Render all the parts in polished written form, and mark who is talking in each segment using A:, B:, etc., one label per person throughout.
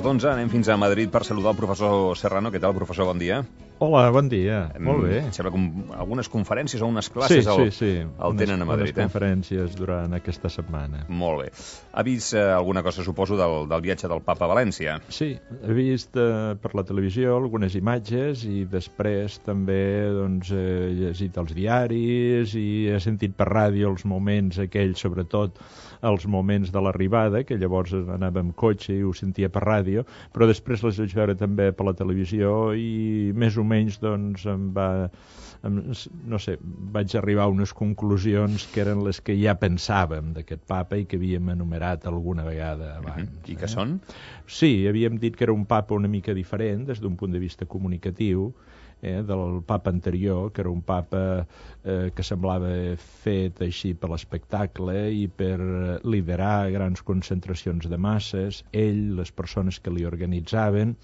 A: 2:15, anem fins a Madrid per saludar el professor Serrano. Què tal, professor? Bon dia.
B: Hola, bon dia. Molt bé.
A: Sembla que algunes conferències o unes classes el tenen a Madrid.
B: Unes conferències durant aquesta setmana.
A: Molt bé. Ha vist alguna cosa, suposo, del viatge del papa a València?
B: Sí, he vist per la televisió algunes imatges i després també he llegit els diaris i he sentit per ràdio els moments aquells, sobretot els moments de l'arribada, que llavors anava amb cotxe i ho sentia per ràdio, però després les vaig veure també per la televisió i més o menys vaig arribar a unes conclusions que eren les que ja pensàvem d'aquest papa i que havíem enumerat alguna vegada abans.
A: I què són?
B: Sí, havíem dit que era un papa una mica diferent des d'un punt de vista comunicatiu, del papa anterior, que era un papa que semblava fet així per l'espectacle i per liderar grans concentracions de masses, ell, les persones que li organitzaven,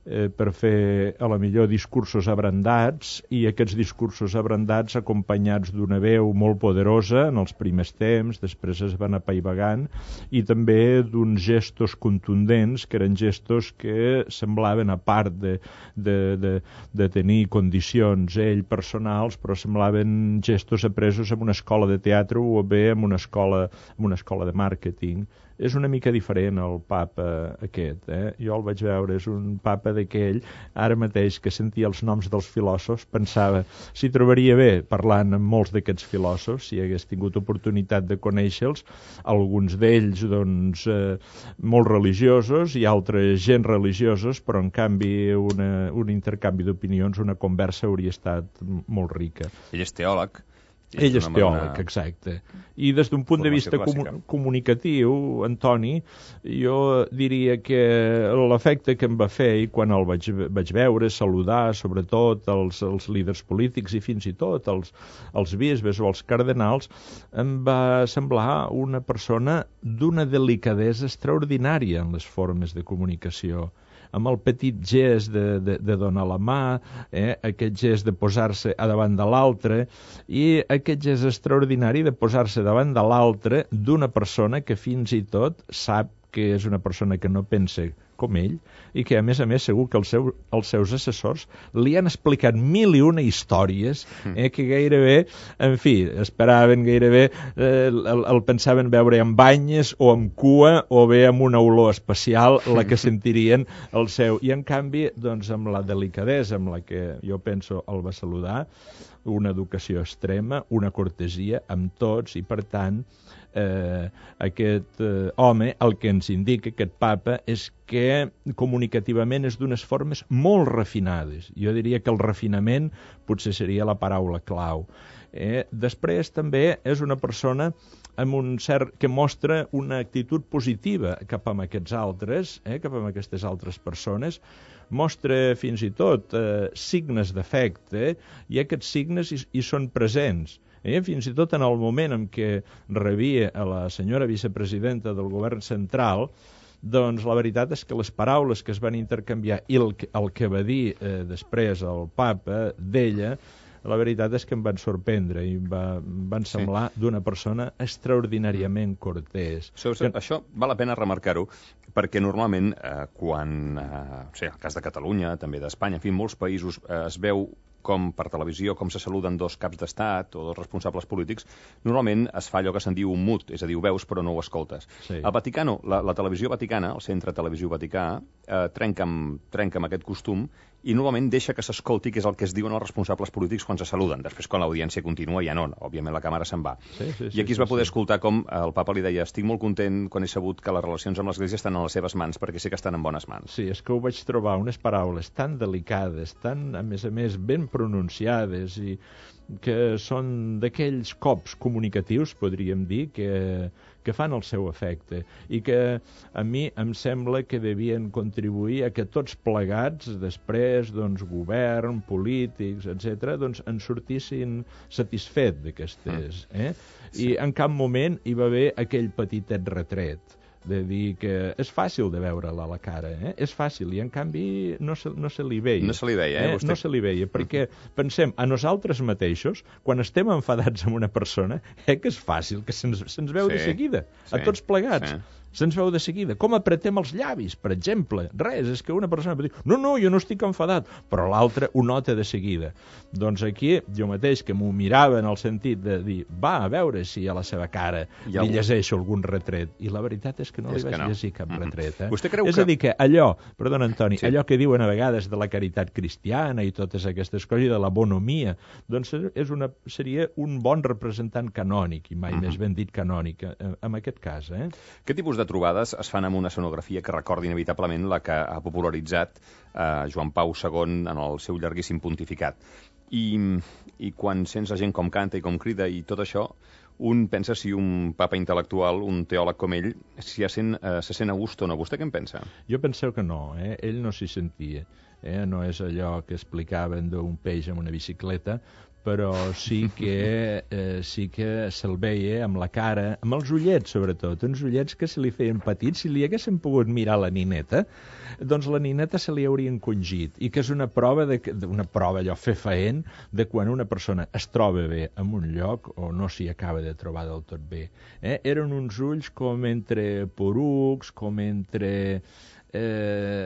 B: per fer a la millor discursos abrandats, i aquests discursos abrandats acompanyats d'una veu molt poderosa en els primers temps, després es van apaivagant, i també d'uns gestos contundents, que eren gestos que semblaven, a part de tenir condicions ell personals, però semblaven gestos apresos en una escola de teatre o bé en una escola de màrqueting. És una mica diferent el papa aquest. Jo el vaig veure, és un papa d'aquell, ara mateix que sentia els noms dels filòsofs, pensava s'hi trobaria bé parlant amb molts d'aquests filòsofs, si hagués tingut oportunitat de conèixer-los, alguns d'ells molt religiosos i altres gens religiosos, però en canvi un intercanvi d'opinions, una conversa hauria estat molt rica.
A: Ell és teòleg.
B: Ell és teòleg, exacte. I des d'un punt de vista comunicatiu, Antoni, jo diria que l'efecte que em va fer, i quan el vaig veure, saludar sobretot els líders polítics i fins i tot els bisbes o els cardenals, em va semblar una persona d'una delicadesa extraordinària en les formes de comunicació, amb el petit gest de donar la mà, aquest gest de posar-se a davant de l'altre, i aquest gest extraordinari de posar-se davant de l'altre d'una persona que fins i tot sap que és una persona que no pensa com ell, i que a més segur que els seus assessors li han explicat 1001 històries que gairebé, en fi, esperaven gairebé, el pensaven veure amb banyes o amb cua o bé amb una olor especial la que sentirien el seu. I en canvi, doncs, amb la delicadesa amb la que jo penso el va saludar, una educació extrema, una cortesia amb tots, i per tant aquest home el que ens indica, aquest papa, és que comunicativament és d'unes formes molt refinades. Jo diria que el refinament potser seria la paraula clau. Després també és una persona amb un cert que mostra una actitud positiva cap a aquests altres, cap a aquestes altres persones, mostra fins i tot signes d'afecte, i aquests signes hi són presents. Fins i tot en el moment en què rebia a la senyora vicepresidenta del govern central, doncs la veritat és que les paraules que es van intercanviar i el que va dir després el papa d'ella, la veritat és que em van sorprendre i van semblar d'una persona extraordinàriament cortès.
A: Això val la pena remarcar-ho, perquè normalment quan, el cas de Catalunya, també d'Espanya, en fi, en molts països es veu com per televisió, com se saluden dos caps d'estat o dos responsables polítics, normalment es fa allò que se'n diu un mut, és a dir, ho veus però no ho escoltes.
B: Sí.
A: Al Vaticano, la televisió vaticana, el centre televisió vaticà, trenca amb aquest costum i normalment deixa que s'escolti què és el que es diuen els responsables polítics quan se saluden. Després, quan l'audiència continua, ja no, òbviament la càmera se'n va. I aquí es va poder escoltar com el papa li deia: estic molt content quan he sabut que les relacions amb l'Església estan en les seves mans, perquè sé que estan en bones mans.
B: Sí, és que ho vaig trobar unes paraules tan delicades, tan, a més, ben pronunciades, i que són d'aquells cops comunicatius, podríem dir, que fan el seu efecte, i que a mi em sembla que devien contribuir a que tots plegats, després, govern, polítics, etc., en sortissin satisfets d'aquestes. I en cap moment hi va haver aquell petitet retret de dir que és fàcil de veure-la a la cara, és fàcil, i en canvi no se li veia.
A: No se li veia,
B: No se li veia, perquè pensem a nosaltres mateixos, quan estem enfadats amb una persona, que és fàcil, que se'ns veu de seguida, a tots plegats. se'ns veu de seguida. Com apretem els llavis, per exemple. Res, és que una persona pot dir, no, jo no estic enfadat, però l'altre ho nota de seguida. Doncs aquí, jo mateix, que m'ho mirava en el sentit de dir, va, a veure si a la seva cara li llegeixo algun retret. I la veritat és que no li vaig llegir cap retret.
A: Vostè creu
B: és a dir, que allò, perdona, Antoni, allò que diuen a vegades de la caritat cristiana i totes aquestes coses, i de la bonomia, doncs seria un bon representant canònic, i mai més ben dit canònic, en aquest cas.
A: Què tipus de trobades es fan amb una escenografia que recorda inevitablement la que ha popularitzat Joan Pau II en el seu llarguíssim pontificat? I quan sents la gent com canta i com crida i tot això, un pensa si un papa intel·lectual, un teòleg com ell, se sent a gust o no. Vostè què en pensa?
B: Jo penseu que no, ell no s'hi sentia. No és allò que explicaven d'un peix amb una bicicleta, però sí que se'l veia amb la cara, amb els ullets, sobretot, uns ullets que se li feien petits. Si li haguessin pogut mirar la nineta, doncs la nineta se li hauria encongit, i que és una prova allò fefaent, de quan una persona es troba bé en un lloc o no s'hi acaba de trobar del tot bé. Eren uns ulls com entre porucs, com entre...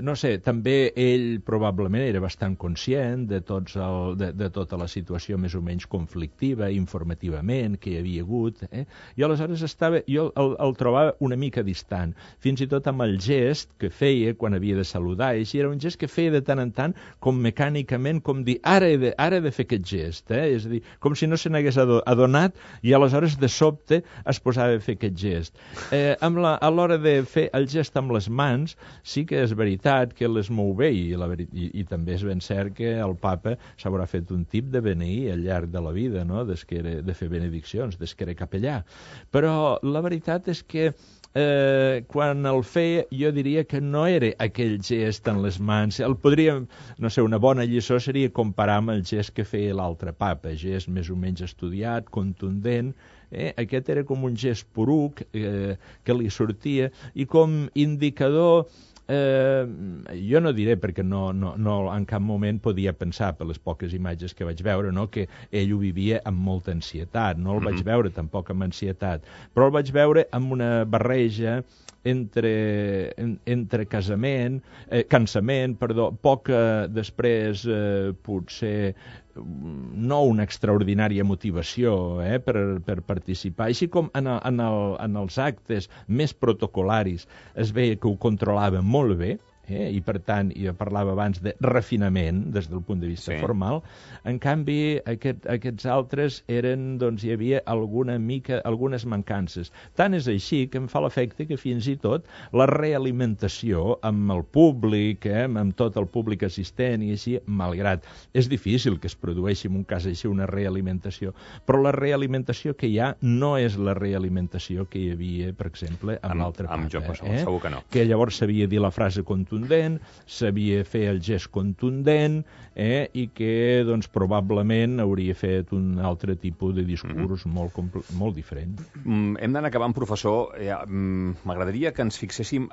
B: no sé, també ell probablement era bastant conscient de tota la situació més o menys conflictiva, informativament, que hi havia hagut, i aleshores jo el trobava una mica distant, fins i tot amb el gest que feia quan havia de saludar, i era un gest que feia de tant en tant, com mecànicament, com dir, ara he de fer aquest gest, és a dir, com si no se n'hagués adonat, i aleshores de sobte es posava a fer aquest gest. A l'hora de fer el gest amb les mans, sí que és veritat que les mou bé, i també és ben cert que el papa s'haurà fet un tip de beneir al llarg de la vida, no? De fer benediccions, des que era capellà. Però la veritat és que quan el feia, jo diria que no era aquell gest en les mans. Una bona lliçó seria comparar amb el gest que feia l'altre papa, gest més o menys estudiat, contundent. Aquest era com un gest poruc que li sortia, i com indicador, jo no diré, perquè no en cap moment podia pensar, per les poques imatges que vaig veure, que ell ho vivia amb molta ansietat. No el vaig veure tampoc amb ansietat, però el vaig veure amb una barreja entre cansament, poc després potser no una extraordinària motivació per participar. Així com en els actes més protocolaris es veia que ho controlava molt bé, i per tant, jo parlava abans de refinament des del punt de vista formal. En canvi, aquests altres hi havia algunes mancances. Tant és així que em fa l'efecte que fins i tot la realimentació amb el públic, amb tot el públic assistent i així, malgrat és difícil que es produeixi en un cas així una realimentació, però la realimentació que hi ha no és la realimentació que hi havia, per exemple, amb l'altre papa.
A: Segur que no.
B: Que llavors sabia dir la frase contundent, sabia fer el gest contundent, i que probablement hauria fet un altre tipus de discurs molt diferent.
A: Hem d'anar acabant, professor. M'agradaria que ens fixéssim,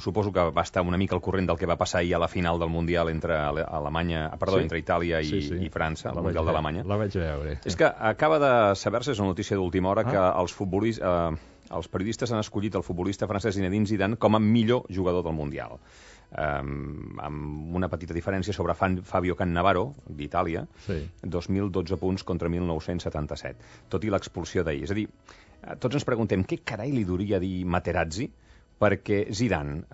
A: suposo que va estar una mica al corrent del que va passar ahir a la final del Mundial entre Itàlia i França, el Mundial d'Alemanya.
B: La vaig veure.
A: És que acaba de saber-se, és una notícia d'última hora, que els periodistes han escollit el futbolista francès Zinedine Zidane com a millor jugador del Mundial. Amb una petita diferència sobre Fabio Cannavaro, d'Itàlia, 2.012 punts contra 1.977, tot i l'expulsió d'ahir. És a dir, tots ens preguntem què carai li duria dir Materazzi perquè Zidane,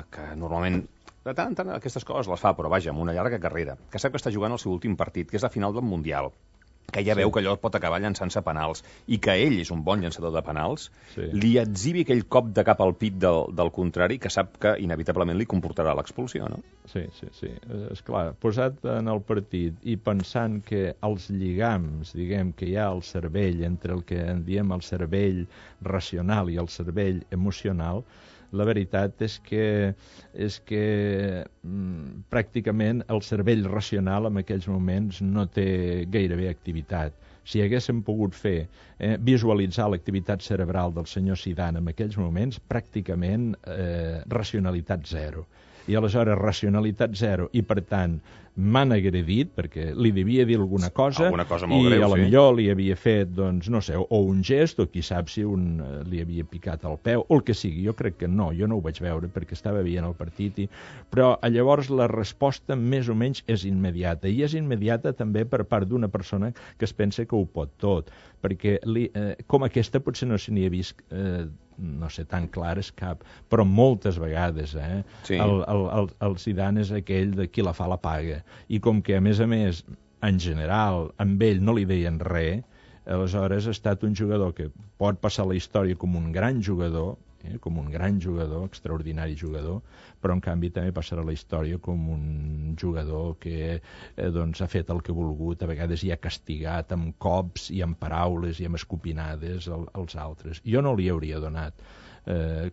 A: que normalment de tant en tant aquestes coses les fa, però vaja, amb una llarga carrera, que sap que està jugant el seu últim partit, que és la final del Mundial, que ja veu que allò pot acabar llançant-se penals, i que ell és un bon llançador de penals, li exhibi aquell cop de cap al pit del contrari, que sap que inevitablement li comportarà l'expulsió, no?
B: Sí. Esclar, posat en el partit i pensant que els lligams, diguem, que hi ha al cervell, entre el que en diem el cervell racional i el cervell emocional, la veritat és que pràcticament el cervell racional en aquells moments no té gairebé activitat. Si haguéssim pogut visualitzar l'activitat cerebral del senyor Zidane en aquells moments, pràcticament racionalitat zero. i aleshores racionalitat zero, i per tant m'han agredit perquè li devia dir alguna cosa
A: molt greu,
B: i a lo millor li havia fet, doncs, no sé, o un gest, o qui sap si li havia picat el peu, o el que sigui. Jo crec que no, jo no ho vaig veure perquè estava veient el partit, però llavors la resposta més o menys és immediata, i és immediata també per part d'una persona que es pensa que ho pot tot, perquè com aquesta potser no se n'hi ha vist no sé, tan clares cap, però moltes vegades,
A: Sí.
B: El Zidane és aquell de qui la fa la paga, i com que a més, en general, amb ell no li deien res, aleshores ha estat un jugador que pot passar la història com un gran jugador, extraordinari jugador, però en canvi també passarà la història com un jugador que doncs, ha fet el que ha volgut, a vegades hi ha castigat amb cops i amb paraules i amb escopinades als altres. Jo no li hauria donat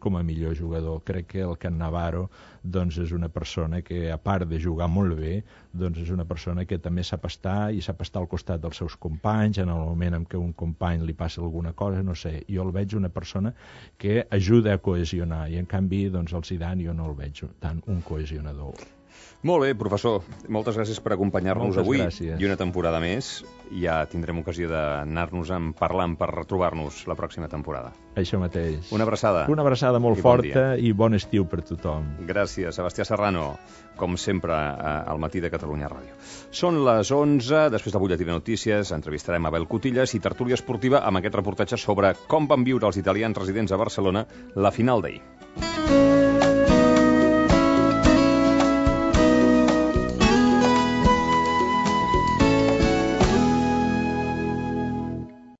B: com a millor jugador. Crec que el Cannavaro doncs, és una persona que, a part de jugar molt bé, doncs és una persona que també sap estar al costat dels seus companys en el moment en què un company li passa alguna cosa, no sé. Jo el veig una persona que ajuda a cohesionar, i en canvi doncs, el Zidane jo no el veig tant un cohesionador.
A: Molt bé, professor. Moltes gràcies per acompanyar-nos avui.
B: Gràcies.
A: I una temporada més. Ja tindrem ocasió d'anar-nos parlant per retrobar-nos la pròxima temporada.
B: Això mateix.
A: Una abraçada.
B: Una abraçada molt forta i bon estiu per tothom.
A: Gràcies, Sebastià Serrano, com sempre, al Matí de Catalunya Ràdio. Són les 11, després del butlletí de notícies, entrevistarem Abel Cotillas i tertúlia esportiva amb aquest reportatge sobre com van viure els italians residents a Barcelona la final d'ahir.